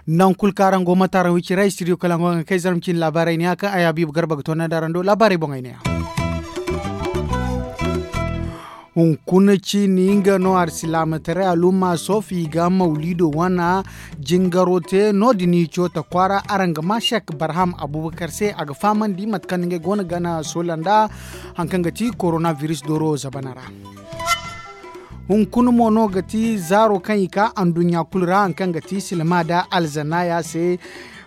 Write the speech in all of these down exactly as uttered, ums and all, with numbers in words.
Nangu kulu kaŋ araŋ go mate araŋ wi cire studio kala ngo ga kay zarma cine laabaarey ne ya kaŋ ay habiibu garba ga toonandi araŋ do laabaarey boŋey ne ya. Hunkuna ciini nga no alsilaamataray alumma soofi ga mawliido wane jingaro te no- din i cooto kwaara araŋ ga ma sek barham abubakar se a ga fahamandi mate kaŋ ngey go no gana soola nda hari kaŋ ga ti korona biris dooro zabana ra. Hunkuna mo no ga ti zaaro kaŋ i ka anduɲɲa kulu ra hari kaŋ ga ti silma nda alzanaya se.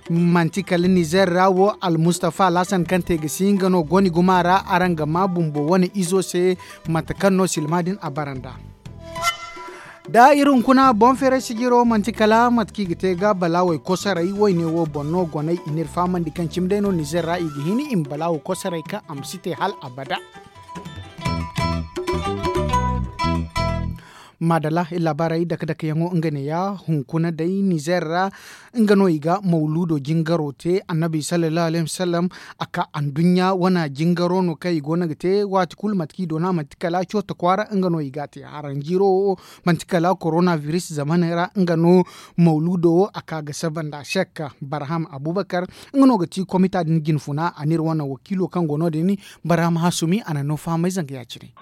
Manti kala nizer ra wo almustafa alhasan kaŋ te ga si nga no goni guma ra araŋ ga ma bumbo wane izo se mate kaŋ no silma din a bara nd'a. Da iri hunkuna boŋ feeray sijiro manti kala mate kaŋ i ga te ga balaawey kosoray wayne wo boŋ no goney i n'iri fahamandi kaŋ cimi day no nizer ra i ga hin i ma balaawo kosoray kaŋ a ma si te hal abada. Maadalla iri laabaarey dake dake yaŋo nga ne ya hunkuna day nizer ra. Nga no i ga mawluudo jingaro te annabi sallallahu alayhi wasallam a ka anduɲɲa wane jingaro no kaŋ i go no ga te waati kulu mate kaŋ i doona manti kala cooto kwaara nga no i ga a te haranjiiro wo manti kala korona biris zamaney ra nga no mawluudo wo a ka ga saba nda sek barham abubakar. Nga no ga ti komita din jinfuna a n'iri wane wakiilo kaŋ go no- din barham hasumi a na no fahamay zanga ya- cine.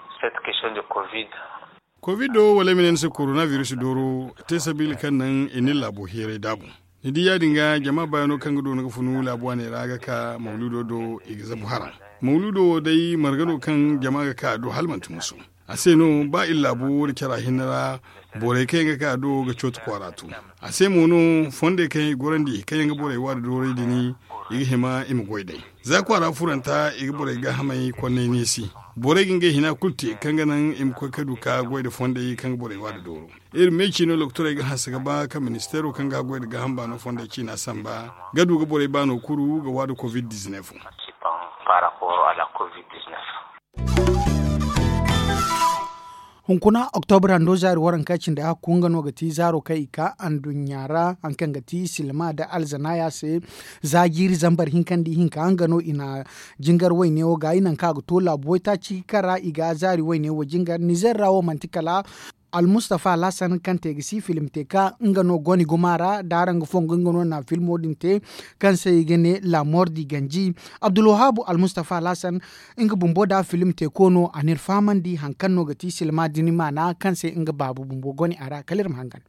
Kovid do wala ay ma ne ni se korona biris dooro te sabiila kaŋ naŋ i na ni laabo heeray daabu. Ni di ya- din ga jama baayaŋo kaŋ ga doona ga funu laabu waaney ra ga ka mawluudo do i ga zabu haraŋ. Mawluudo wo day marga no kaŋ jama ga ka a do hala manti musu. A se no ba iri laabo wo da cara hinne ra borey kaŋ yaŋ ga ka a do ga cooto kwaara tu. A se mo no fondey kaŋ yaŋ i gorandi kaŋ yaŋ ga borey waada dooray din i ga hima i ma goy day. Za kwaara furanta i ga borey gaahamey konnay neesi. Borey ga ngey hina kulu te kaŋ ga naŋ i ma koy ka du ka goy nda fondey kaŋ ga borey waada dooro. Iri me ciino lokotorey ga hanse ga ba kaŋ ministeero kaŋ ga goy nda gaaham baano fondey ciina samba ga du ga borey baano kuru ga waada kovid dizinef. Hunkuna oktobra ndo zaari waranka cindi hakku nga no ga ti zaaro kaŋ i ka anduɲɲa ra hari kaŋ ga ti silma nda alzanaya se. Za jiiri zambar hinka nda ihinka nga no i na jingar wayne wo gaayi nangu kaŋ a ga to laabu waytaaci kaŋ ra i ga zaari wayne wo jingar nizer ra wo manti kala almustafa alhasan kaŋ te ga si filim te ka nga no goni guma ra da araŋ ga fongu nga no na filmo din te kaŋ se i ga ne lamor di ganji. Abdulwahabu almustafa alhasan nga bumbo da filim te ko no a n'iri fahamandi hari kaŋ no ga ti silma din maana kaŋ se nga baabu bumbo goni a ra kala iri ma hangan.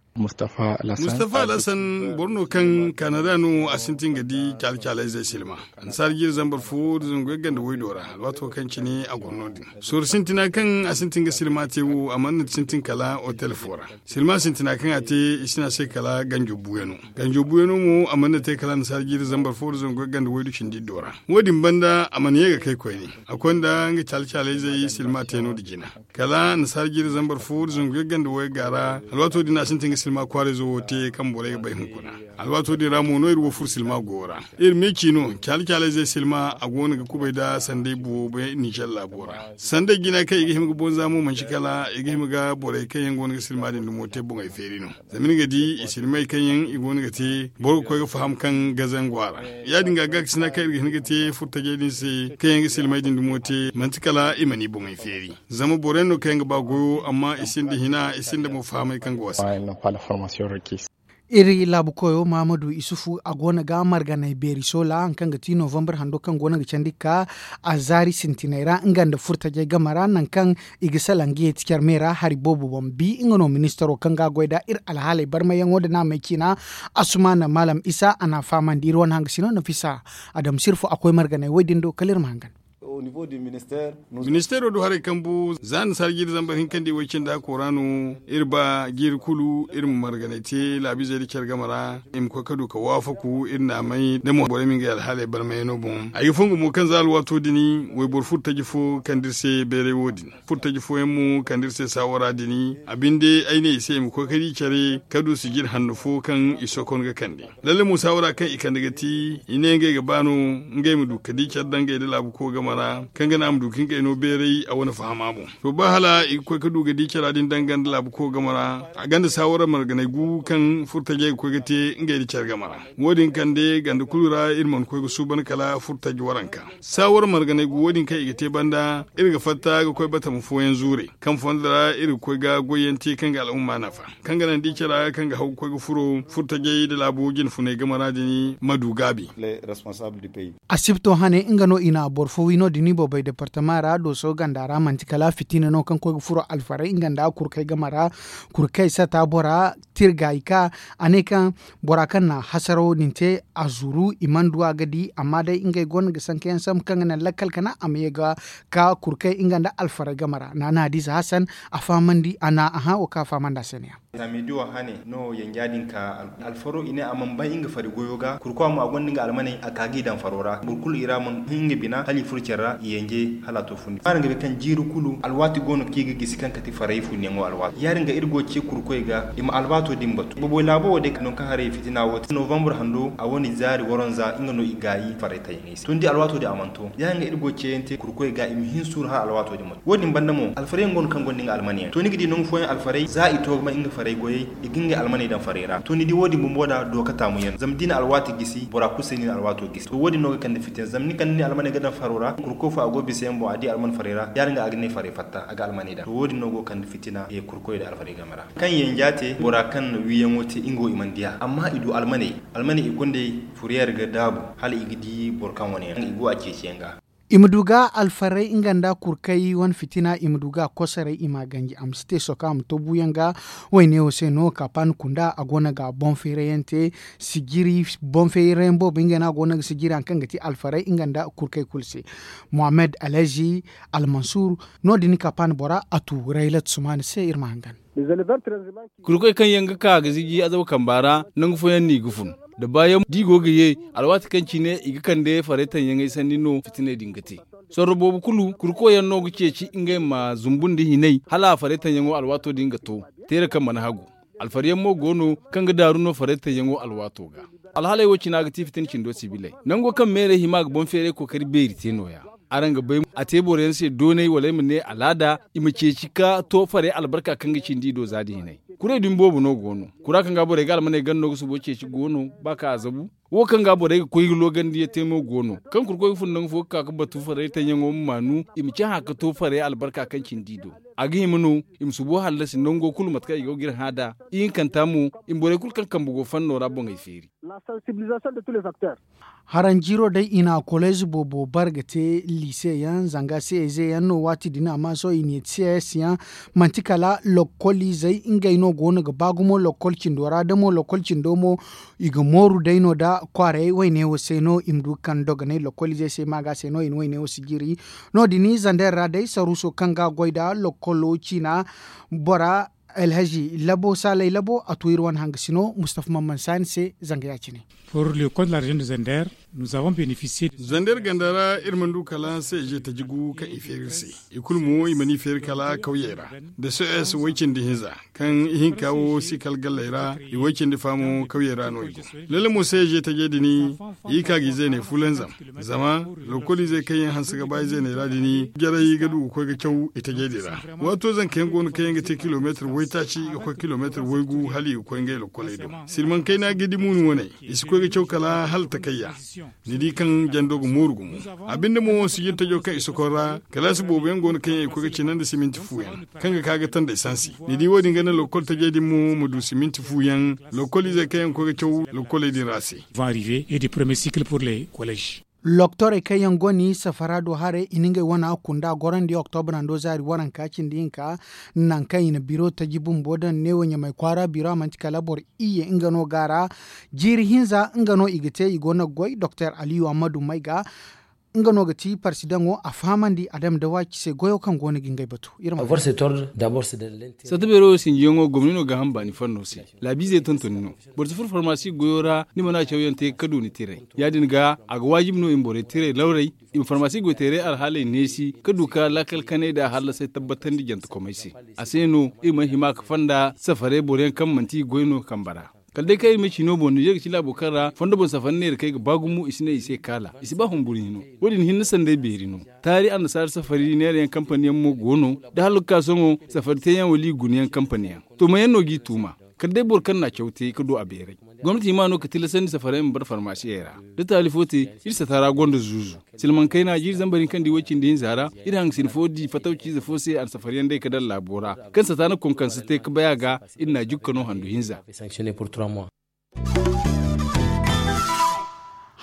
Mustafa alhasan boro no kaŋ kanada no a sintin ga di caali-caaley zey silma. Annasaara jiiri zambar fo da zangu yagga nda waydo ra alwaato kaŋ cine a goro no- din. Sorro sintina kaŋ a sintin ga silma te wo a mana sintin kala otel fo ra. Silma sintina kaŋ a te i si ne a se kala ganjo buuyano. Ganjo buuyano mo a mana te kala annasaara jiiri zambar fo da zangu yagga nda waydu cindi iddo ra. Wo- din banda a mana ye ga kay koyne. A konda nga caali-caaley zey silma te no- din jina. Kala annasaara jiiri zambar fo da zangu yagga nda wayga ra alwaato din a sintin ga silma kwaarayzo wo te kaŋ borey ga bay hunkuna. Alwaato din ra mo no iri wo furo silma go ra. Iri me ciino caali-caaley zey silma a go no ga kubay nda sanday buwo bay ninzer laabo ra. Sanday jina kaŋ i ga hima ga bonza mo manci kala i ga hima ga borey kaŋ yaŋ go no ga silma din dumo te boŋey feeri no. Zama ni ga di i silmey kaŋ yaŋ i go no ga te boro ga koy ga faham kaŋ ga zangu a ra. Ya- din ga gaakasina kaŋ iri ga hin ga te furtajey din se kaŋ yaŋ ga silmey din dumo te manti kala i mana i boŋey feeri. Zama borey no kaŋ yaŋ ga ba goyo amma i sinda hina i sinda mo fahamey kaŋ ga wasa. Iri laabu koyo mahamadu isufu a go no ga marganay beeri soola hari kaŋ ga ti novambar hando kaŋ go no ga candi ga ka a zaari sintinay ra nga nda furtajey game ra nangu kaŋ i ga salaŋ ga yeeti care me ra hari boobo boŋ bi nga no ministaro kaŋ ga a goy nd'a iri alhaaley barmayyaŋo nda naamey ciina. Assumaana maalam isa a n'a fahamandi iri wane hangasino nafisa adama sirfo a koy marganey wo- din do kala iri ma hangan. Ministeero du haray kambu za nda sara jiiri zambar hinka nda i way cindi hakko ra no. Iri ba jiiri kulu iri ma marganay te laabiizey nda care game ra i ma koy ka du ka waafaku iri naamey da mo borey ma ngey alhaaley barmayyaŋo boŋ ay ga fongu mo kaŋ za alwaato din wayboro furtaji fo kande iri se bayray wo- din. Furtaji fooyaŋ mo kande iri se saawara din a binde ay ne i se i ma koy ka di care ka du sijir hanno fo kaŋ i sokon ga kande. Lalle mo saawara kaŋ i kande ga ti i ne ngey ga ba no ngey ma du ka di care dangey nda laabu koy game. ra kaŋ ga naŋ a ma du ka ngey no beeray a wane fahama boŋ. To ba hala i ga koy ga du ga di cara din daŋ ganda laabu ko game ra a ganda saawara marganay gu kaŋ furtajey ga koy ga te ngey nda care game ra. Wo- din kande ganda kulu ra iri mana koy ga suuban kala furtaji waranka. Saawara marganay gu wo- din kaŋ i ga te banda iri ga fatta ga koy batama fooyaŋ zuure kaŋ fondo ra iri ga koy ga goyyaŋ te kaŋ ga al'umma nafa, kaŋ ga naŋ da i care kaŋ ga haw ga koy ga furo furtajey nda laabo jinfunay game ra din ma du gaabi. Asibto hane nga no i na boro fo wi no- din i boobay departama ra dooso ganda ra manti kala fitina no kaŋ koy ga furo alfaray nga nda kurkay game ra. Kurkay sata bora tirga i ka a ne kaŋ bora kaŋ na hasarawo din te a zuru i mana du a ga di amma day ngey gonda ga sankayaŋ sambu kaŋ ga naŋ lakkal kana a ma ye ga ka kurkay nga nda alfaray game ra na na hadiza hasan a fahamandi a na a hã wo kaŋ a fahamandi a se ne ya. Za meediyo hane no yanja din ka alfaro i ne a mana bay nga fari goyo ga kurkwa mo a gonda nga almaney a ka ga i daŋ faro ra boro kulu i ra mana hin nga bina hala i furo care ra i yanje hala a to fundi. Araŋ ga bay kaŋ jiiri kulu alwaati go no kaŋ i ga gisi kaŋ kate faray funyaŋo alwaati ya- din ga iri go ga ce kurkoy ga i ma alwaato din batu boboy laabo wo day nangu kaŋ haray fitina wo te novambre hando a wane zaari waranza nga no i gaayi faray tayaŋey se to ni di alwaato din a mana to ya- din ga iri go ga ceeyaŋ te kurkoy ga i ma hin suuru hala alwaato din ma to wo- din banda mo alfaryaŋ go no kaŋ gonda nga almaniyaŋ to ni ga di nangu fooyaŋ alfaray za i to ga bay nga faray goyey i ga ngey almaney daŋ faray ra to ni di wo- din bumbo da dooka taamuyaŋ zama da i na alwaati gisi bora kulu se no i na alwaato gisi to wo- din no ga kande fitina zama ni kande ni almaney ga daŋ faro ra kurkoy fo a go bisa yaŋ boŋ a di alman faray ra ya- din ga a ga ne faray fatta a ga almaney daŋ to wo- din no go ga kande fitina kurkoy nda alfaray game ra kaŋ yanja te bora kaŋ na wiyaŋo te nga wo i mana di a amma i du almaney almaney i gonda furiyeer ga daabu hala i ga di boro kaŋ wane yaŋ i go a ceeciyaŋ ga. I ma du ga alfarray nga nda kurkay wane fitina i ma du ga kosoray i m'a ganji a ma si te soka a ma to buuyaŋ ga. Wayne wo se no kapan kunda a go no ga boŋ feerayante sijiri boŋ feerayaŋ boobo nga no a go no ga sijiri hari kaŋ ga ti alfarray nga nda kurkay kulu se. Mohammed alhazi almansur no- din kapan bora a tu raylat sumaani se iri ma hangan. Kurkoy kaŋ yaŋ ga ka ga ziji azaw kamba ra nangu fooyaŋ no i ga fun da baayaŋ da i go ga ye alwaati kaŋ cine i ga kande faray taŋyaŋey sanni no fitiney din ga te. Sorro boobo kulu kurkoy yaŋ no ga ceeci ngey ma zumbu nda hinay hala faray taŋyaŋo alwaato din ga to teera kaŋ mana hagu. Alfaryaŋ mo go no kaŋ ga daaru no faray taŋyaŋo alwaato ga. Alhaley wo cina ga ti fitina cindo sibiley nango kaŋ meerey hima ga boŋ feeray kookari beeri te no- ya. Araŋ ga bay a te boro yaŋ se doonay wala ay ma ne alaada i ma ceeci ka to farey albarka kaŋ ga cindi i do za da hinay. Kuray dumi boobo no go no kura kaŋ ga borey ga almaney ganda no ga subo ceeci go no ba ka a zabu. Wo kaŋ ga borey ga koy ga loogandi ya te mo go no kaŋ kurkoy ga fun nangu fo ga ka ga batu farey taŋyaŋo ma maanu i ma cahã ga to farey albarka kaŋ cindi i do. A ga hima no i ma subo hallasi nango kulu mate kaŋ i go ga iri hã nd'a. Ihinkanta mo i ma borey kulu kaŋ kambe go fanno ra boŋey feeri. Haraŋ jiiro day i na koleez boobo bare ga te liise yaŋ zanga se eze yaŋ no waati din amma sohõ i na ye te se s yaŋ. Manti kala lokkol izey ngey no go no ga ba gumo lokkol cindo ra da mo lokkol cindo mo i ga mooru day no nda kwaaray wayne wo se no i ma du ga kande dogonay lokkol izey se maaga se no i na wayne wo si jiri. No- din zander ra day saruuso kaŋ ga a goy nda lokkolo ciina bora alhazi labo saalay labo a to iri wane hangasino mustafa mamman saani se zanga ya- cine. Pour le compte de la région de zander nous avons bénéficié. Zander ganda ra iri mana du kala se ije taji gu kaŋ i feeri iri se. I kulu mo i mana i feeri kala kawyey ra da sos way-cindi hinza kaŋ ihinka wo si kala galley ra. I way-cindi fa mo kawyey ra no i go. Lalle mo se ije tajey din i ka ga i zeeney fulanzam. Zama lokkol izey kaŋ yaŋ hanse ga ba i zeeney ra din jaray ga du ga koy ga caw i tajey din ra. Waato zanka yaŋ go no kaŋ yaŋ ga te kilomeetir waytaaci ga koy kilomeetir waygu hala i ga koy ngey lokkoley do. Silmaŋ kayna ga di muunu wane i si koy ga caw kala hala takayya. Ni di kaŋ jando ga mooru gumo. A binde mo sijir tajo kaŋ i sokon ra kalaasi boobo yaŋ go no kaŋ yaŋ i koy ga cina nda siminti fu yaŋ kaŋ ga ka ga tanda esansi. Ni di wo- din ga naŋ lokkol tajey din mo ma du siminti fu yaŋ. Lokkol izey kaŋ yaŋ ga koy ga caw lokkoley din ra se. Loktorey kaŋ yaŋ go no i safara do haray i na ngey wana kunda gorandi oktobra ndo zaari waranka cindi hinka. Nangu kaŋ i na biro taji bumbo daŋ neewo ɲamay kwaara biro a manti kala boro iyye nga no ga a ra. Jiiri hinza nga no i ga te i go no ga goy doktor aliyu ammadu mayga. Nga no ga ti parsidaŋo a fahamandi adama da waaci se goyo kaŋ go no ga ngey batu. Sata beero wo sinjiyaŋo gomni no ga ham baani fanno se. Laabiizey tontoni no. Boro si furo farmasi goyo ra ni mana cawyaŋ te ga kadu ni tiray. Ya- din ga a ga waajibi no i ma borey tiray lawray i ma farmasi goyteeray alhaaley neesi ga du ka laakal kanay nda hallasay tabbatandi jantekomey se. A se no iri mana hima ga fonda safarey boro yaŋ kaŋ manti i goy no kambe ra. Kala day kaŋ iri ma ci no boŋ ninzeer ga ci laabo kaŋ ra fondo boŋ safari neera kaŋ ay ga ba gumo i si ne i se kaala i si ba humburu hino. Wo- din hinne sanday beeri no. Taari annasaara safari neera yaŋ kampani yaŋ mo go no. Da hala ga ka sohõ safari teeyaŋ wala i guna yaŋ kampani yaŋ to ma yaŋ no g'i tuuma. Kala day boro kaŋ na a caw te ga du a beeray. Gomnati hima no ga tilasandi safari yaŋ ma bara farmaasiyey ra. Da taali fo te iri sata ra gonda zuuzu. Silmaŋ kayna jiiri zambar hinka nda i way cindi hinza ra. Iri hangasin fo di fatawci ize fo se a na safari yaŋ day ga daŋ laabo ra. Kaŋ sata na konkonse te ga bay a ga. Iri na a jukka no handu hinza.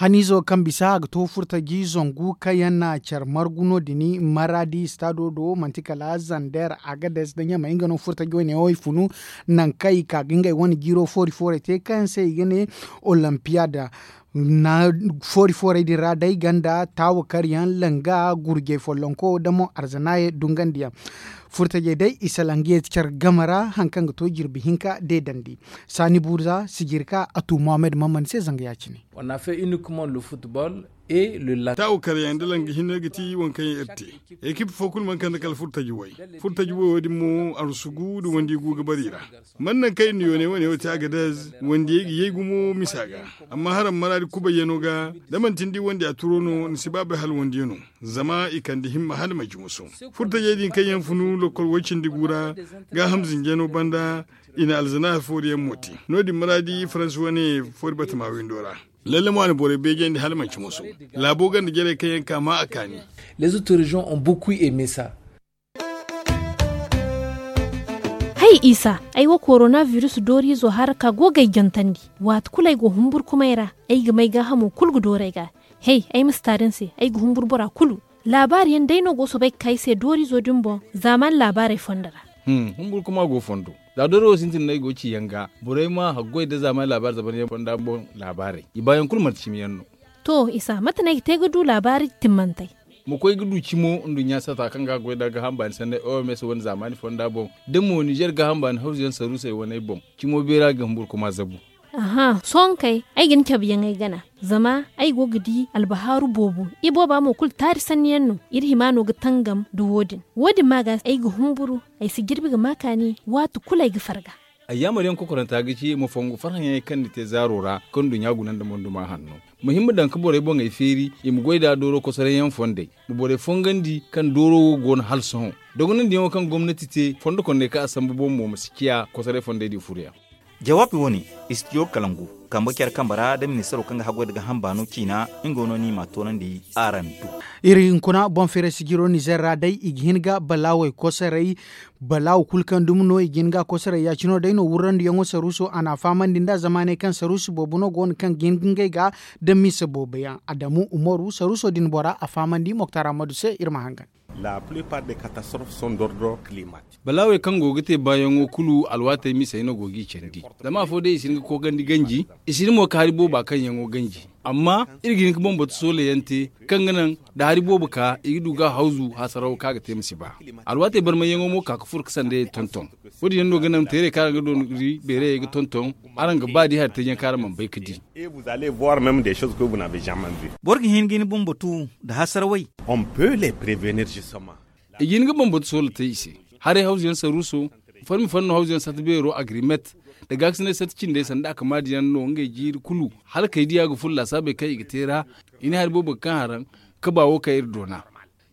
Haniizo kaŋ bisa a ga to furtaji zangu kaŋ yaŋ na care margu no- din. Maraadi istaado do manti kala zander agades da ɲamey nga no furtaji wane wo i funu. Nangu kaŋ i ka ga ngey wane jiiro foori foorey te kaŋ se i ga ne, olimpiyad. Foori foorey din ra day ganda taawa karyaŋ langa gurjey follonko da mo arzanaayey dungandiyaŋ. Furtajey day i salaŋ ga ye care game ra hari kaŋ ga to jirbi hinka deedandi. Saani buuza sijirka a tu mohammed mammand se zanga ya- cine. Taawa karyaŋ nda langa hinne ga ti waŋ kaŋ yaŋ iri te. Ekip fo kulu mana kande kala furtaji way. Furtaji way wo- din mo arsugu nda wandi gu ga bara i ra. Man naŋ kaŋ iri na yooney wane wo te agadez wandiyey ga yay gumo misa ga. Amma haraŋ maraadi kubayyano ga da manti ni di wandi a turo no ni si ba bay hala wandiyano. Zama i kande himma hala manci muso. Furtajey din kaŋ yaŋ funu lokkol way cindi gu ra gaaham zinjano banda. I na alzanaaya foori yaŋ mo te. No- din maraadi faransi wane foori batama windo ra. Lalle mo a na borey beejandi hala manci muso. Laabo ganda jarey kaŋ yaŋ ka ma a kaani. Les autres regions ont beaucoup aimé ça. Hay isa, ay wo korona virus dooriizo hara ka go ga ay jantandi. Waati kulu ay go humburkumay ra. Ay ga may gaahamo kulu ga dooru ay ga. Hey, ay ma si taari ni se ay ga humburu bora kulu. Laabaari yaŋ day no go soobay ga ka ay se dooriizo din boŋ. Zaamaani laabaarey fondo ra. Humburkuma go fondo. Za dooro wo sintin no ay go ga ci yaŋ ga borey ma haggoy nda zaamaani laabaari zaban yaŋ fonda boŋ. Laabaarey i baayaŋ kulu manti cimi yaŋ no. To isa mate no ay ga te ga du laabaari timmantey? Ma koy ga du cimo nduɲɲa sata kaŋ ga a goy nda gaaham baani sanney oms wane zaamaani fonda boŋ. Da mo nizer gaaham baani hawzu yaŋ saruusey waney boŋ. Cimo beera ga humburkuma zabu. Aha sohõ kay ay ga ni cabe yaŋ ay gana. Zama ay go ga di albahaaru boobo. Ibooba mo kulu taari sanni yaŋ no. Iri hima no ga tangam nda wo- din. Wo- din ma ga ay ga humburu. Ay si jirbi ga ma kaani waati kulu ay ga farga. Ayyaamar yaŋ kokoranta ga ci ma fongu farhã yaŋey kaŋ ni te zaaro ra kaŋ nduɲɲa guna nda monduma hanno. Ma hin ma daŋ ga borey boŋey feeri i ma goy nd'a dooro kosoray yaŋ fondey. Ma borey fongandi kaŋ dooro wo go no hala sohõ. Dogonandiyaŋo kaŋ gomnati te fondo kondey kaŋ a sambu boŋ mo ma si ciya kosoray fondey din furo yaŋ. Jawaabi wo- ne, istidiyo kalangu kambe care kambe ra da ministaro kaŋ ga haggoy nda gaaham baano ciina. Nga no no i m'a toonandi araŋ do. Iri hunkuna boŋ feeray sijiro nizer ra day i ga hin ga balaawey kosoray. Balaawo kulu kaŋ dumi no i ga hin ga a kosoray ya- cine wo day no wurrandiyaŋo saruuso a n'a fahamandi nd'a zamaaney kaŋ saruusu boobo no go no kaŋ ga hin ga ngey ga. Da mise boobo yaŋ adamu umaru saruuso din bora a fahamandi moktar ammadu se iri ma hangan. Balaawey kaŋ go ga te baayaŋo kulu alwaatey misey no go g'i candi. Zama afo day i si hin ga koogandi ganji. I si hin mo ga hari booba kaŋ yaŋo ganji. Amma iri ga hin ga bambata soola yaŋ te kaŋ ga naŋ da hari boobo ka i ga du ga hawzu hasaraw kaŋ a ga te ma si ba. Alwaatey barmayyaŋo mo ka ga furo ga sandayey tonton. Wo- din yaŋ no ga naŋ teerey kaŋ araŋ ga dooni beerayey ga tonton. Araŋ ga ba di hari taji yaŋ kaŋ araŋ mana bay ga di. Boro ga hin ga ni bambatu nda hasarawey. I ga hin ga bambatu soola te i se. Haray hawzu yaŋ saruuso farmi fanno hawzu yaŋ sata beero agrimet nda gaakasinay sata cindey sanda a kamaadi yaŋ no ngey jiiri kulu. Hala kay diya ga furo laasaabey kaŋ i ga te ra. I ne hari boobo ga kaŋ haraŋ kaba wo kaŋ iri doona.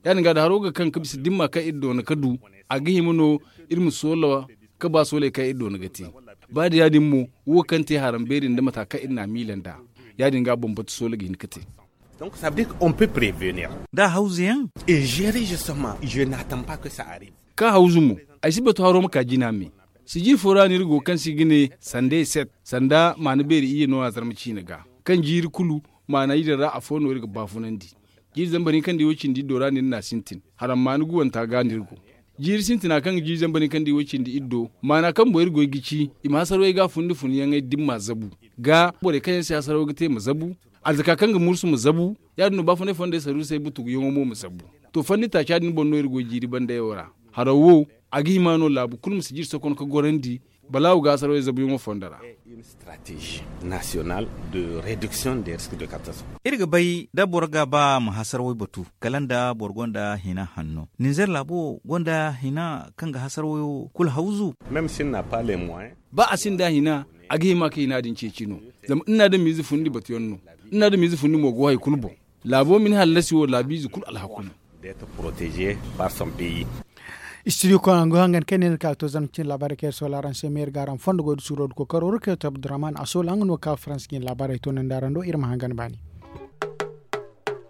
Ya- din ga da haro ga kaŋ ga bisa dimma kaŋ iri doona ga du a ga hima no iri ma soola kaba sooley kaŋ iri doona ga te. Ba da ya- din mo wo kaŋ te haraŋ beeri nda mata kaŋ iri n'a miila nd'a. Ya- din ga bambata soola ga hin ga te. Da hawzu yaŋ. Ka hawzu mo. Ay si batu haro ma ka jina me. Sijiri fo ra no iri go kaŋ se i ga ne sanda eset sanda maana beeri iyye no a zarma ciina ga. Kaŋ jiiri kulu maana iyye din ra afo no iri ga baafunandi. Jiiri zambar hinka nda iwo cindi iddo ra no iri n'a sintin. Haram maana guwanta ga no iri go. Jiiri sintina kaŋ ga jiiri zambar hinka nda iwo cindi iddo maana kaŋ boŋ iri goy ga ci i ma hasarawey ga fundi funyaŋey dimma zabu. Ga borey kaŋ yaŋ se hasaraw ga te ma zabu. Arzaka kaŋ ga mursu ma zabu. Ya- din no baafunay fondey saruusey butuguyaŋo mo ma zabu. To fanni taaca din boŋ no iri goy jiiri bandayo ra. Haraw wo a ga hima no laabu kulu ma si jiri sokon ga gorandi. Balaawo ga hasaraw zabuyaŋo fondo ra. Stratégie nationale de réduction des risques de catastrophe. Iri ga bay da boro ga ba ma hasaraw batu kala nda boro gonda hina hanno ninzeer laabo gonda hina kaŋ ga hasaraw kulu hawzu. Ba a sinda hina, a ga hima ka hina din ceeci no. Zama iri na adamiize fundi batuyaŋ no. Iri na adamiize fundi mo go hari kulu boŋ. Laabo ma ni hallasi wo laabiize kulu alhaku no. Studio koy a go hangan kaŋ ne ni ka to zama cin laabaarey kaŋ iri sohõ araŋ se meeri ga araŋ fondo goy da suuro da kookaro ra kaŋ yaŋ to abdurrahman a sohõ nga no ga ka farans ga ni laabaarey to nandi araŋ do iri ma hangan baani.